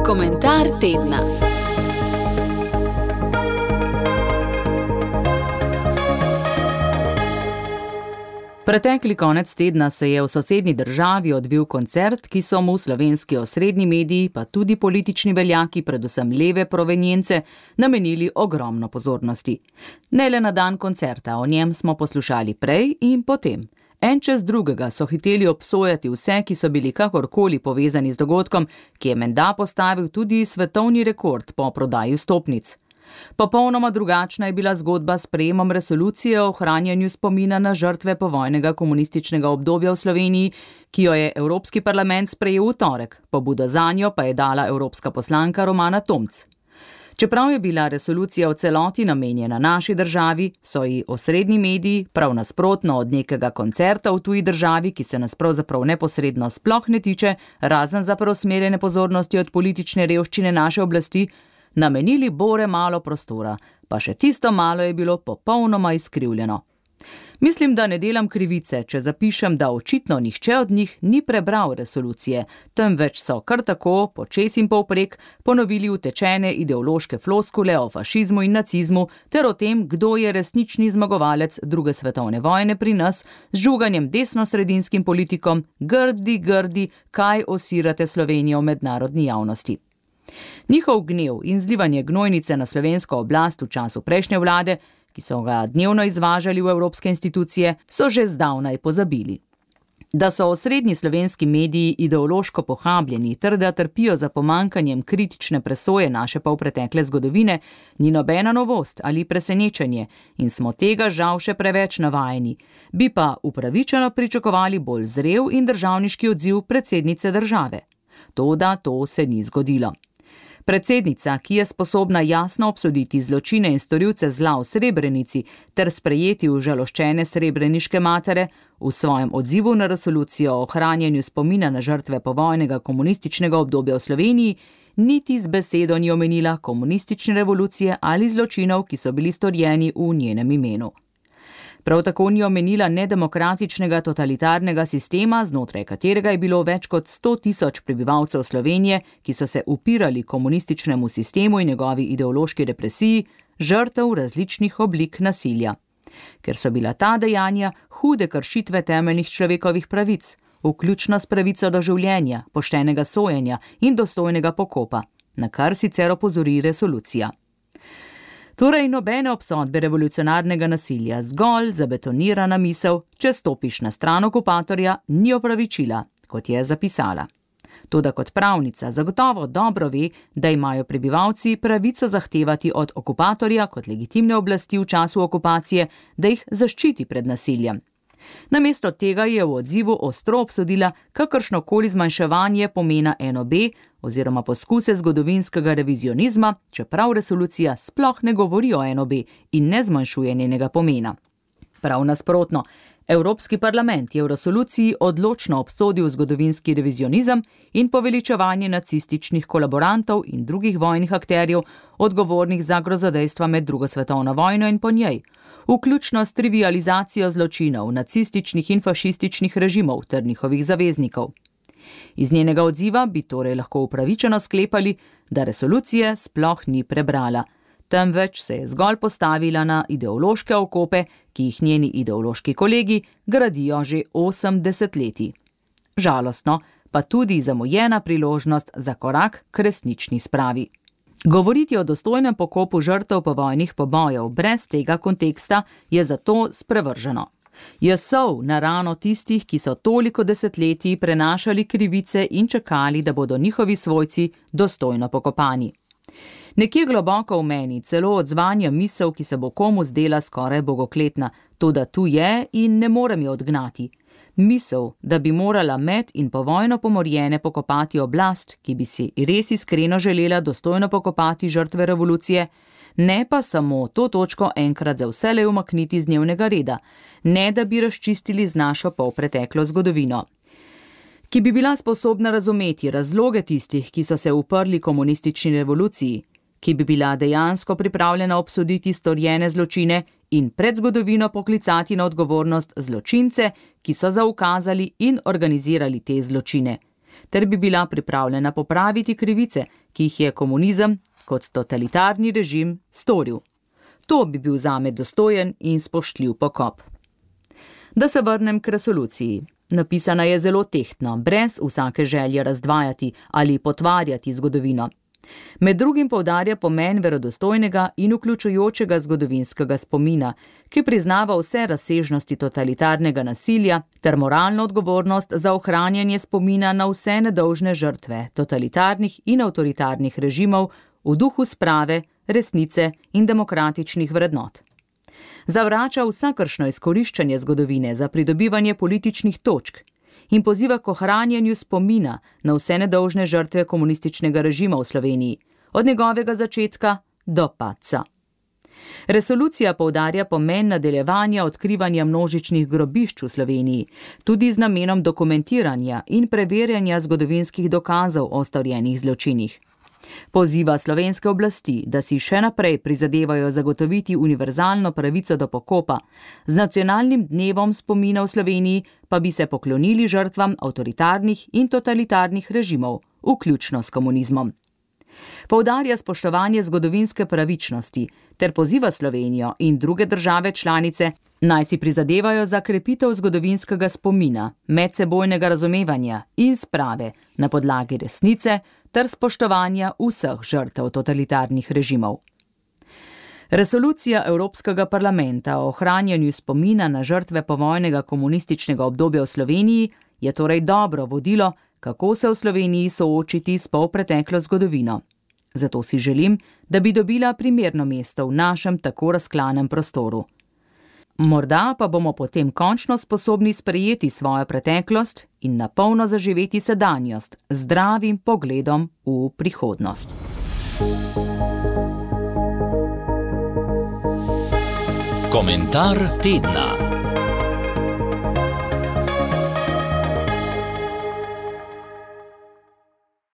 Komentar tedna. Pretekli konec tedna se je v sosednji državi odvil koncert, ki so mu slovenski osrednji mediji, pa tudi politični veljaki, predvsem leve provenience, namenili ogromno pozornosti. Ne le na dan koncerta, o njem smo poslušali prej in potem. En čez drugega so hiteli obsojati vse, ki so bili kakorkoli povezani z dogodkom, ki je menda postavil tudi svetovni rekord po prodaji vstopnic. Popolnoma drugačna je bila zgodba s sprejemom resolucije o ohranjanju spomina na žrtve povojnega komunističnega obdobja v Sloveniji, ki jo je Evropski parlament sprejel v torek, pobudo zanjo pa je dala evropska poslanka Romana Tomc. Čeprav je bila resolucija v celoti namenjena naši državi, so ji osrednji mediji, prav nasprotno od nekega koncerta v tuji državi, ki se nas pravzaprav neposredno sploh ne tiče, razen za preusmerjene pozornosti od politične revščine naše oblasti, namenili bore malo prostora, pa še tisto malo je bilo popolnoma izkrivljeno. Mislim, da ne delam krivice, če zapišem, da očitno nihče od njih ni prebral resolucije, temveč so kar tako, počez in povprek, ponovili utečene ideološke floskule o fašizmu in nacizmu ter o tem, kdo je resnični zmagovalec druge svetovne vojne pri nas, z žuganjem desnosredinskim politikom, grdi, kaj osirate Slovenijo v mednarodni javnosti. Njihov gnev in zlivanje gnojnice na slovensko oblast v času prejšnje vlade, ki so ga dnevno izvažali v evropske institucije, so že zdavnaj pozabili. Da so osrednji slovenski mediji ideološko pohabljeni ter da trpijo za pomanjkanjem kritične presoje naše polpretekle zgodovine, ni nobena novost ali presenečenje in smo tega žal še preveč navajeni, bi pa upravičeno pričakovali bolj zrel in državniški odziv predsednice države. Toda to se ni zgodilo. Predsednica, ki je sposobna jasno obsoditi zločine in storilce zla v Srebrenici ter sprejeti užaloščene srebreniške matere, v svojem odzivu na resolucijo o ohranjanju spomina na žrtve povojnega komunističnega obdobja v Sloveniji, niti z besedo ni omenila komunistične revolucije ali zločinov, ki so bili storjeni v njenem imenu. Prav tako ni omenila nedemokratičnega totalitarnega sistema, znotraj katerega je bilo več kot 100 000 prebivalcev Slovenije, ki so se upirali komunističnemu sistemu in njegovi ideološki represiji, žrtev različnih oblik nasilja. Ker so bila ta dejanja hude kršitve temeljnih človekovih pravic, vključno s pravico do življenja, poštenega sojenja in dostojnega pokopa, na kar sicer opozori resolucija. Torej nobene obsodbe revolucionarnega nasilja, zgolj zabetonirana misel, če stopiš na stran okupatorja, ni opravičila, kot je zapisala. Toda kot pravnica zagotovo dobro ve, da imajo prebivalci pravico zahtevati od okupatorja kot legitimne oblasti v času okupacije, da jih zaščiti pred nasiljem. Namesto tega je v odzivu ostro obsodila kakršnokoli zmanjševanje pomena NOB oziroma poskuse zgodovinskega revizionizma, čeprav resolucija sploh ne govori o NOB in ne zmanjšuje njenega pomena. Prav nasprotno, Evropski parlament je v resoluciji odločno obsodil zgodovinski revizionizem in poveličevanje nacističnih kolaborantov in drugih vojnih akterjev, odgovornih za grozodejstva med drugo svetovno vojno in po njej, vključno s trivializacijo zločinov nacističnih in fašističnih režimov ter njihovih zaveznikov. Iz njenega odziva bi torej lahko upravičeno sklepali, da resolucije sploh ni prebrala, temveč se je zgolj postavila na ideološke okope, ki jih njeni ideološki kolegi gradijo že 8 desetletij. Žalostno, pa tudi zamujena priložnost za korak k resnični spravi. Govoriti o dostojnem pokopu žrtev povojnih pobojev brez tega konteksta je zato sprevrženo. Je sol na rano tistih, ki so toliko desetletij prenašali krivice in čakali, da bodo njihovi svojci dostojno pokopani. Nekje globoko v meni celo odzvanja misel, ki se bo komu zdela skoraj bogokletna, toda tu je in ne morem jo odgnati. Misel, da bi morala med in povojno pomorjene pokopati oblast, ki bi si res iskreno želela dostojno pokopati žrtve revolucije, ne pa samo to točko enkrat za vselej umakniti z dnevnega reda, ne da bi razčistili z našo polpreteklo zgodovino. Ki bi bila sposobna razumeti razloge tistih, ki so se uprli komunistični revoluciji, ki bi bila dejansko pripravljena obsoditi storjene zločine in pred zgodovino poklicati na odgovornost zločince, ki so zaukazali in organizirali te zločine. ter bi bila pripravljena popraviti krivice, ki jih je komunizem kot totalitarni režim storil. To bi bil zame dostojen in spoštljiv pokop. Da se vrnem k resoluciji. Napisana je zelo tehtno, brez vsake želje razdvajati ali potvarjati zgodovino. Med drugim poudarja pomen verodostojnega in vključujočega zgodovinskega spomina, ki priznava vse razsežnosti totalitarnega nasilja ter moralno odgovornost za ohranjanje spomina na vse nedolžne žrtve totalitarnih in avtoritarnih režimov v duhu sprave, resnice in demokratičnih vrednot. Zavrača vsakršno izkoriščanje zgodovine za pridobivanje političnih točk in poziva k ohranjanju spomina na vse nedolžne žrtve komunističnega režima v Sloveniji, od njegovega začetka do padca. Resolucija poudarja pomen nadaljevanja odkrivanja množičnih grobišč v Sloveniji, tudi z namenom dokumentiranja in preverjanja zgodovinskih dokazov o storjenih zločinih. Poziva slovenske oblasti, da si še naprej prizadevajo zagotoviti univerzalno pravico do pokopa, z nacionalnim dnevom spomina v Sloveniji pa bi se poklonili žrtvam avtoritarnih in totalitarnih režimov, vključno s komunizmom. Poudarja spoštovanje zgodovinske pravičnosti ter poziva Slovenijo in druge države članice, naj si prizadevajo za krepitev zgodovinskega spomina, medsebojnega razumevanja in sprave na podlagi resnice ter spoštovanja vseh žrtev totalitarnih režimov. Resolucija Evropskega parlamenta o ohranjanju spomina na žrtve povojnega komunističnega obdobja v Sloveniji je torej dobro vodilo, kako se v Sloveniji soočiti s polpreteklo zgodovino. Zato si želim, da bi dobila primerno mesto v našem tako razklanem prostoru. Morda pa bomo potem končno sposobni sprejeti svojo preteklost in napolno zaživeti sedanjost z zdravim pogledom v prihodnost. Komentar tedna.